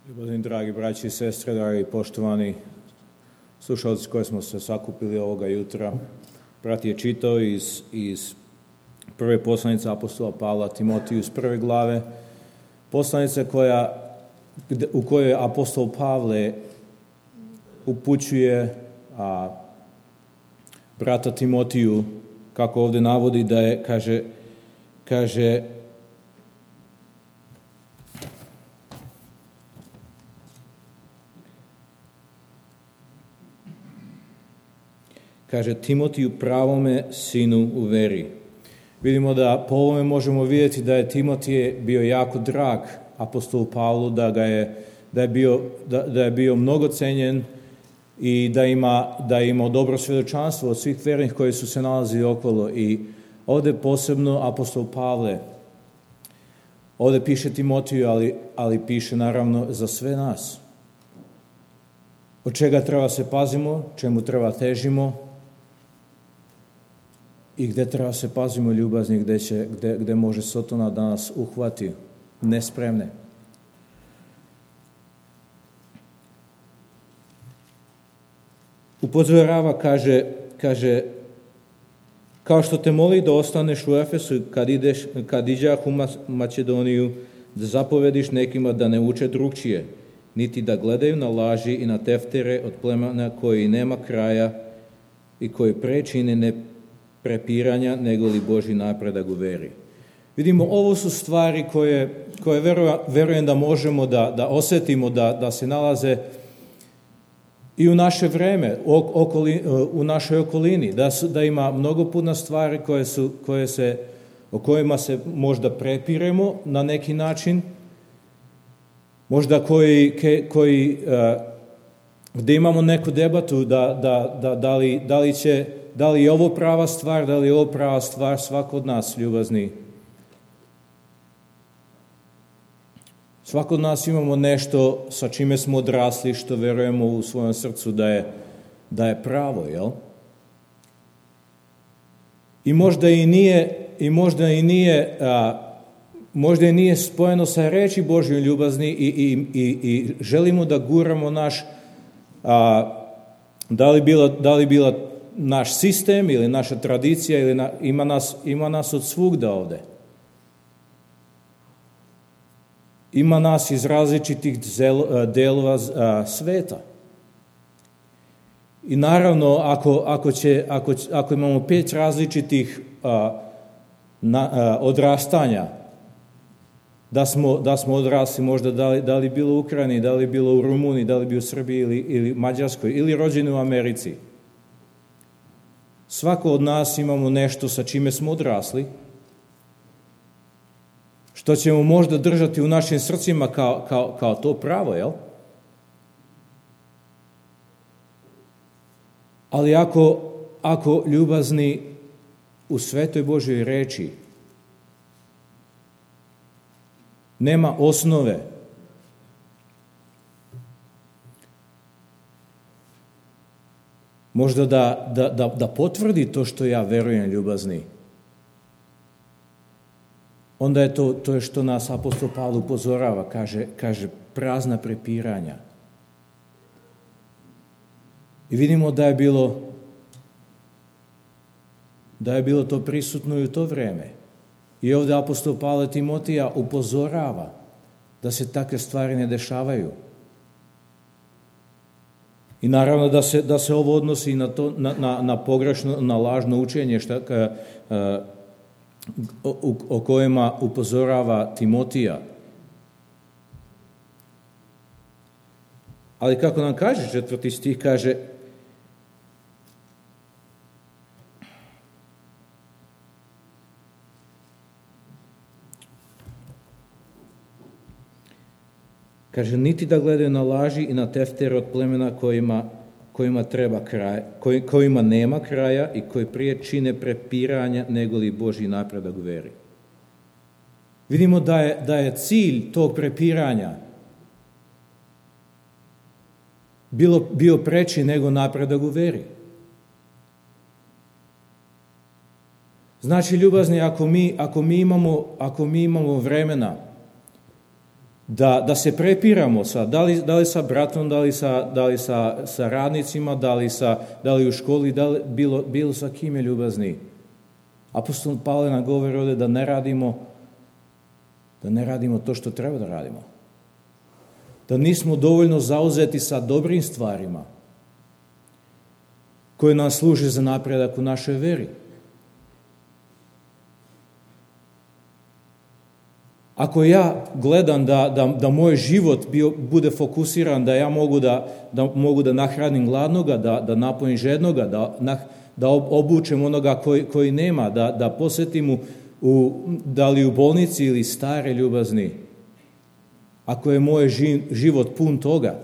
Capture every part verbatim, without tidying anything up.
Ljubazni dragi braći i sestre, dragi poštovani slušalci koji smo se sakupili ovoga jutra, brat je čitao iz, iz prve poslanice apostola Pavla Timotiju iz prve glave, poslanice koja, u kojoj apostol Pavle upućuje a, brata Timotiju, kako ovdje navodi da je, kaže, kaže Kaže Timotiju, pravome sinu u veri. Vidimo da po ovome možemo vidjeti da je Timotije bio jako drag apostolu Pavlu, da ga je, da je bio, da, da je bio mnogo cenjen i da ima, da je imao dobro svjedočanstvo od svih vernih koji su se nalazili okolo. I ovdje posebno apostol Pavle, ovdje piše Timotiju, ali, ali piše naravno za sve nas. Od čega treba se pazimo, čemu treba težimo, i gdje treba se pazimo ljubazni, gdje, će, gdje, gdje može Sotona da nas uhvati nespremne. Upozorava, kaže, kaže, kao što te moli da ostaneš u Efesu kad, ideš, kad iđah u Makedoniju, da zapovediš nekima da ne uče drugčije, niti da gledaju na laži i na teftere od plemena koji nema kraja i koji prečine ne prepiranja, nego li Božji napredak u veri. Vidimo, ovo su stvari koje, koje verujem da možemo da, da osjetimo, da, da se nalaze i u naše vreme, okoli, u našoj okolini, da, su, da ima mnogo puno stvari koje su, koje se, o kojima se možda prepiremo na neki način, možda koji, koji gdje imamo neku debatu da, da, da, da, li, da li će Da li je ovo prava stvar, da li je ovo prava stvar, svako od nas, ljubazni. Svako od nas imamo nešto sa čime smo odrasli, što verujemo u svojom srcu da je, da je pravo, jel? I možda i nije, i možda i nije, a, možda i nije spojeno sa reči Božje ljubazni i, i, i, i želimo da guramo naš, a, da li bila, da li bila naš sistem ili naša tradicija, ili na, ima, nas, ima nas od svugda ovde. Ima nas iz različitih delova sveta. I naravno, ako, ako, će, ako, ako imamo pet različitih a, na, a, odrastanja, da smo, da smo odrasli možda da li, da li bilo u Ukrajini, da li bilo u Rumuniji, da li bilo u Srbiji ili, ili Mađarskoj, ili rođeni u Americi. Svako od nas imamo nešto sa čime smo odrasli, što ćemo možda držati u našim srcima kao, kao, kao to pravo, jel? Ali ako, ako ljubazni u svetoj Božjoj reči nema osnove, možda da, da, da, da potvrdi to što ja verujem, ljubazni, onda je to, to je što nas apostol Pavle upozorava, kaže, kaže prazna prepiranja. I vidimo da je bilo da je bilo to prisutno i u to vrijeme. I ovdje apostol Pavle Timotija upozorava da se takve stvari ne dešavaju. I naravno da se, da se ovo odnosi na, to, na, na, na pogrešno, na lažno učenje šta, ka, a, o, o kojima upozorava Timotija. Ali kako nam kaže četvrti stih, kaže Kaže, niti da gledaju na laži i na teftere od plemena kojima, kojima, treba kraj, koj, kojima nema kraja i koji prije čine prepiranja nego li Božji napredak u veri. Vidimo da je, da je cilj tog prepiranja bilo, bio preći nego napredak u veri. Znači, ljubazni, ako mi, ako mi, imamo, ako mi imamo vremena da, da se prepiramo sa, da li, da li sa bratom, da li sa, da li sa, sa radnicima, da li, sa, da li u školi, da li bilo, bilo sa kim je ljubazni. Apostol Pavle nam govori ovdje da ne radimo da ne radimo to što treba da radimo. Da nismo dovoljno zauzeti sa dobrim stvarima koje nam služe za napredak u našoj veri. Ako ja gledam da, da, da moj život bio, bude fokusiran, da ja mogu da, da, mogu da nahranim gladnoga, da, da napojim žednoga, da, nah, da obučem onoga koji, koji nema, da, da posjetim u, u, da li u bolnici ili stare ljubazni, ako je moj život pun toga,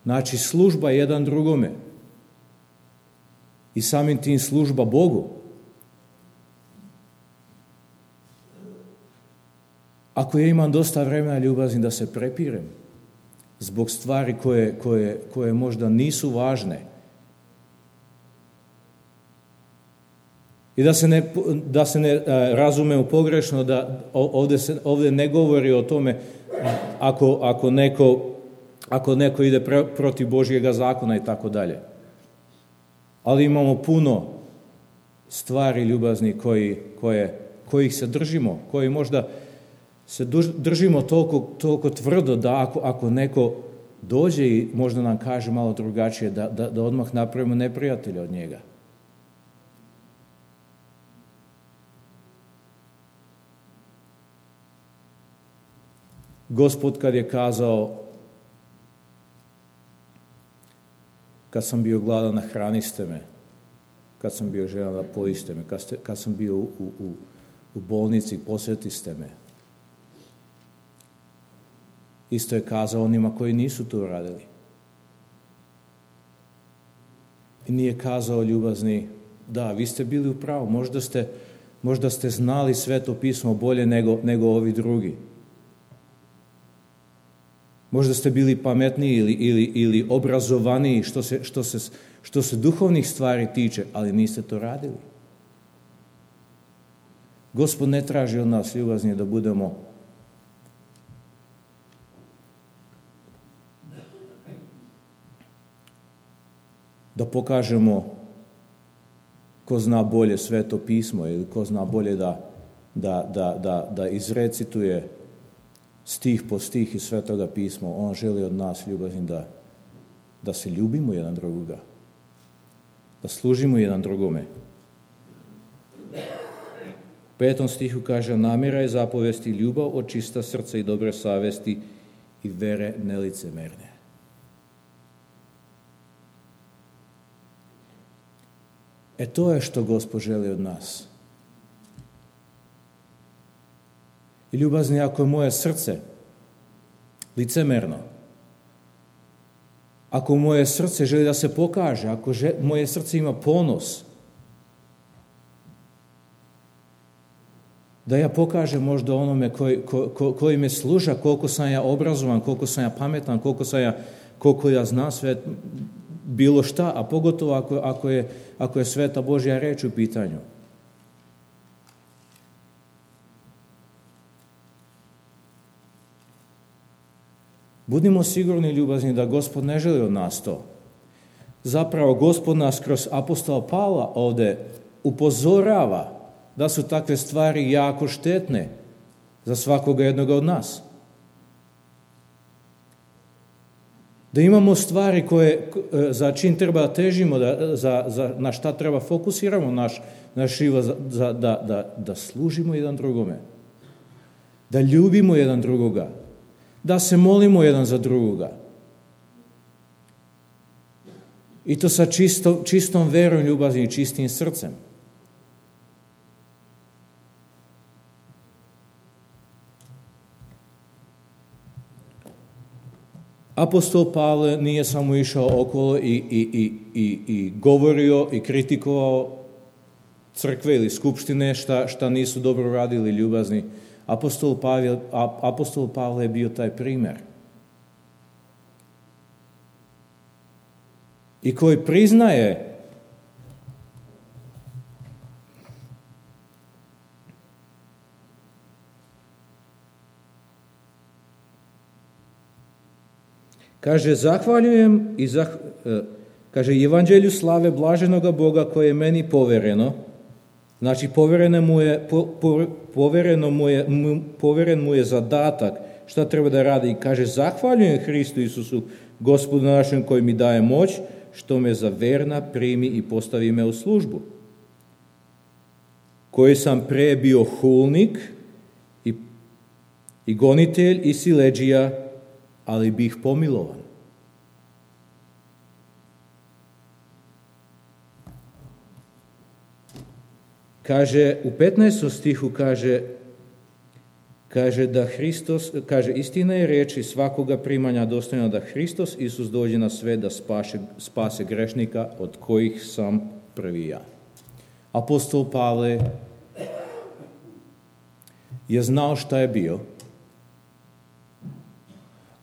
znači služba jedan drugome i samim tim služba Bogu. Ako ja imam dosta vremena ljubazni da se prepirem zbog stvari koje, koje, koje možda nisu važne i da se ne, da se ne razumemo pogrešno, da ovdje, se, ovdje ne govori o tome ako, ako, neko, ako neko ide pre, protiv Božjega zakona i tako dalje. Ali imamo puno stvari ljubazni koji, koje, kojih se držimo, koji možda se držimo toliko, toliko tvrdo da ako, ako neko dođe i možda nam kaže malo drugačije, da, da, da odmah napravimo neprijatelja od njega. Gospod kad je kazao, kad sam bio gladan, nahraniste me, kad sam bio željan, napojiste me, kad, ste, kad sam bio u, u, u bolnici, posjetiste me. Isto je kazao onima koji nisu to radili. I nije kazao ljubazni, da, vi ste bili u pravu, možda ste, možda ste znali Sveto pismo bolje nego, nego ovi drugi. Možda ste bili pametniji ili, ili, ili obrazovaniji što se, što, se, što se duhovnih stvari tiče, ali niste to radili. Gospod ne traži od nas ljubazni da budemo da pokažemo ko zna bolje Sveto pismo ili ko zna bolje da, da, da, da, da izrecituje stih po stih iz Svetoga pisma. On želi od nas ljubazni da, da se ljubimo jedan drugoga, da služimo jedan drugome. U petom stihu kaže, namjera je zapovesti ljubav od čista srca i dobre savesti i vere nelicemerne. E to je što Gospod želi od nas. I ljubazni, ako je moje srce licemerno, ako moje srce želi da se pokaže, ako želi, moje srce ima ponos, da ja pokažem možda onome koji, ko, ko, koji me služa, koliko sam ja obrazovan, koliko sam ja pametan, koliko, sam ja, koliko ja znam sve, bilo šta, a pogotovo ako, ako, je, ako je sveta Božja reč u pitanju. Budimo sigurni, ljubazni, da Gospod ne želi od nas to. Zapravo, Gospod nas kroz apostola Pavla ovdje upozorava da su takve stvari jako štetne za svakoga jednoga od nas. Da imamo stvari koje, za čim treba težimo, da, za, za, na šta treba fokusiramo naš, naš život, za, da, da, da služimo jedan drugome, da ljubimo jedan drugoga, da se molimo jedan za drugoga. I to sa čisto, čistom verom, ljubazni i čistim srcem. Apostol Pavle nije samo išao okolo i, i, i, i, i govorio i kritikovao crkve ili skupštine šta, šta nisu dobro radili ljubazni. Apostol Pavle, apostol Pavle je bio taj primjer. I koji priznaje Kaže, zahvaljujem i zah, kaže, evanđelju slave blaženoga Boga koje je meni povereno. Znači, povereno mu je, po, po, povereno mu je, mu, poveren mu je zadatak šta treba da radi. I kaže, zahvaljujem Hristu Isusu, Gospodu našem, koji mi daje moć, što me za verna primi i postavi me u službu. Koji sam pre bio hulnik i, i gonitelj i siledžija, ali bih pomilovan. Kaže, u petnaestom stihu kaže, kaže da Hristos, kaže, istina je reči svakoga primanja dostojna da Hristos Isus dođe na svet da spase, spase grešnika, od kojih sam prvi ja. Apostol Pavle je znao šta je bio.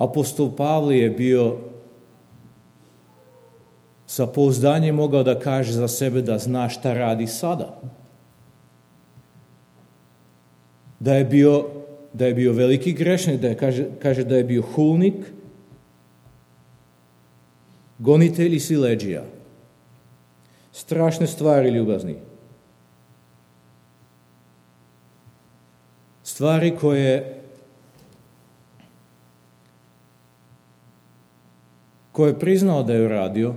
Apostol Pavle je bio sa pouzdanjem mogao da kaže za sebe da zna šta radi sada. Da je bio, da je bio veliki grešnik, da je, kaže, kaže da je bio hulnik, gonitelj i siledžija. Strašne stvari, ljubazni. Stvari koje koje je priznao da je uradio,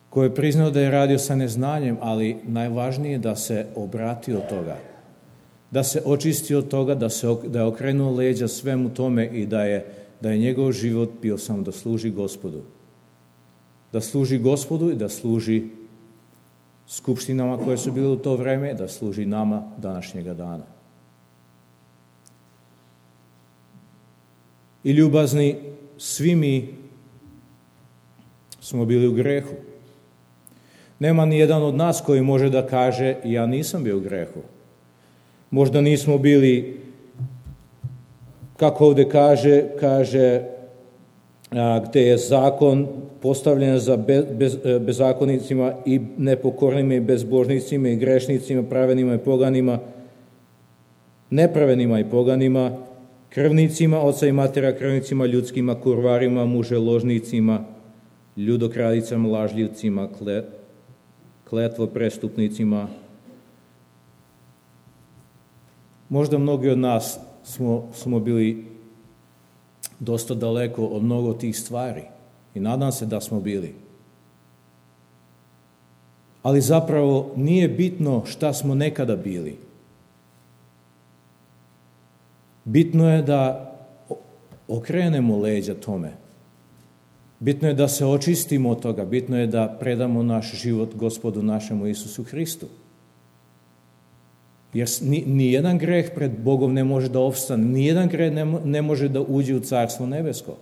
koje je priznao da je radio sa neznanjem, ali najvažnije je da se obrati od toga, da se očisti od toga, da, se, da je okrenuo leđa svemu tome i da je, da je njegov život bio samo da služi Gospodu. Da služi Gospodu i da služi skupštinama koje su bile u to vreme, da služi nama današnjega dana. I ljubazni, svi mi smo bili u grehu. Nema ni jedan od nas koji može da kaže, ja nisam bio u grehu. Možda nismo bili, kako ovdje kaže, kaže, a, gde je zakon postavljen za bez, bez, bezakonicima i nepokornima i bezbožnicima i grešnicima, pravenima i poganima, nepravenima i poganima, krvnicima, oca i matera, krvnicima, ljudskima, kurvarima, muželožnicima, ljudokradicama, lažljivcima, kletvo prestupnicima. Možda mnogi od nas smo, smo bili dosta daleko od mnogo tih stvari i nadam se da smo bili. Ali zapravo nije bitno šta smo nekada bili. Bitno je da okrenemo leđa tome. Bitno je da se očistimo od toga. Bitno je da predamo naš život Gospodu našemu Isusu Hristu. Jer ni, ni jedan greh pred Bogom ne može da opstane. Ni jedan greh ne, ne može da uđe u Carstvo nebesko.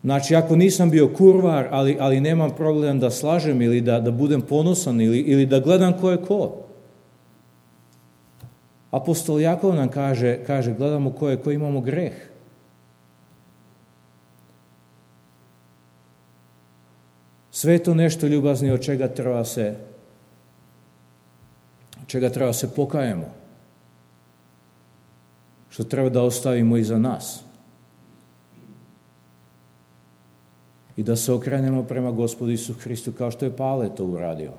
Znači, ako nisam bio kurvar, ali, ali nemam problem da slažem ili da, da budem ponosan ili, ili da gledam ko je ko. Apostol Jakov nam kaže, kaže gledamo ko je ko, imamo greh. Sve to nešto, ljubazni, od čega treba se od čega treba se pokajemo. Što treba da ostavimo iza nas. I da se okrenemo prema Gospodu Isusu Hristu kao što je Pavle to uradio.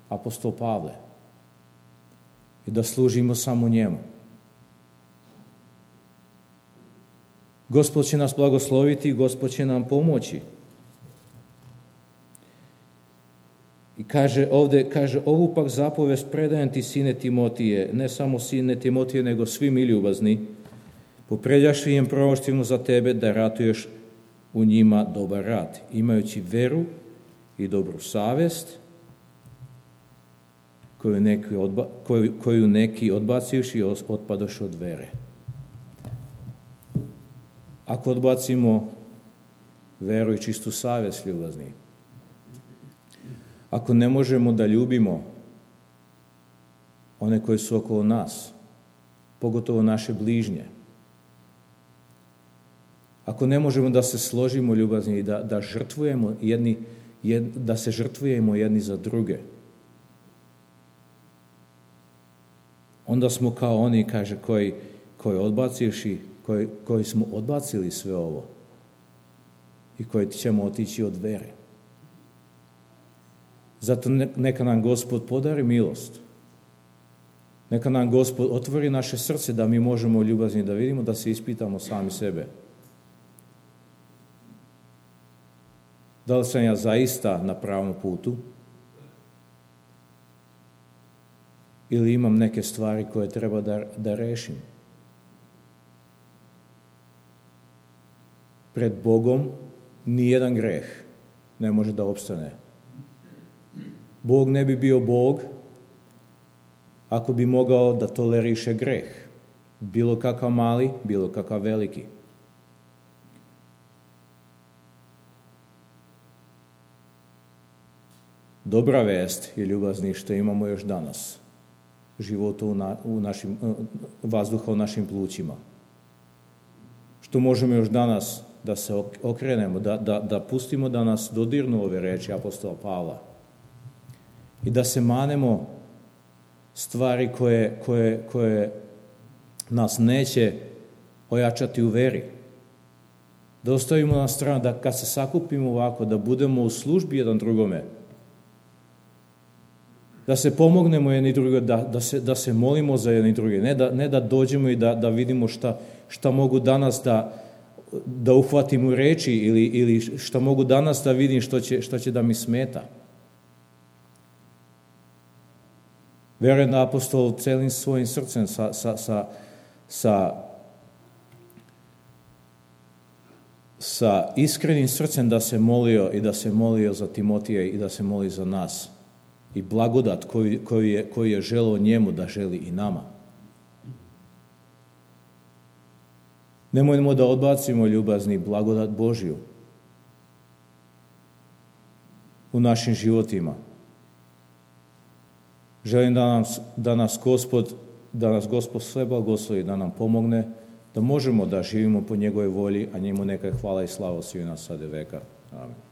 Apostol Pavle. I da služimo samo njemu. Gospod će nas blagosloviti i Gospod će nam pomoći. I kaže ovdje, kaže, ovu pak zapovest predajem ti, sine Timotije, ne samo sine Timotije, nego svi mi ljubazni, popredjaši im proroštvima za tebe da ratuješ u njima dobar rat, imajući veru i dobru savest, koju neki, odba, koju, koju neki odbacivši i otpadoš od vere. Ako odbacimo veru i čistu savest, ljubazni, ako ne možemo da ljubimo one koji su okolo nas, pogotovo naše bližnje, ako ne možemo da se složimo, ljubazni, i da, da žrtvujemo jedni, jed, da se žrtvujemo jedni za druge, onda smo kao oni, kaže, koji, koji odbacivši, koji, koji smo odbacili sve ovo i koji ćemo otići od vere. Zato neka nam Gospod podari milost. Neka nam Gospod otvori naše srce da mi možemo ljubazni da vidimo, da se ispitamo sami sebe. Da li sam ja zaista na pravom putu? Ili imam neke stvari koje treba da, da rešim? Pred Bogom nijedan greh ne može da opstane. Bog ne bi bio Bog ako bi mogao da toleriše greh. Bilo kakav mali, bilo kakav veliki. Dobra vest je, ljubazni, što imamo još danas života u, na, u našim, vazduha u našim plućima. Što možemo još danas da se okrenemo, da, da, da pustimo da nas dodirnu ove reči apostola Pavla i da se manemo stvari koje, koje, koje nas neće ojačati u veri. Da ostavimo na stranu, da kad se sakupimo ovako, da budemo u službi jedan drugome, da se pomognemo jedni drugo, da, da, se, da se molimo za jedni drugi, ne da, ne da dođemo i da, da vidimo šta, šta mogu danas da, da uhvatim u reči ili, ili šta mogu danas da vidim što će, što će da mi smeta. Verujem da apostol celim svojim srcem sa, sa, sa, sa, sa iskrenim srcem da se molio i da se molio za Timotija i da se moli za nas. I blagodat koju, koju, je, koju je želeo njemu da želi i nama. Nemojmo da odbacimo, ljubazni, blagodat Božju u našim životima. Želim da nas, da nas Gospod, da nas Gospod sve blagoslovi, da nam pomogne, da možemo da živimo po njegovoj volji, a njemu neka hvala i slava svima nas sada veka. Amen.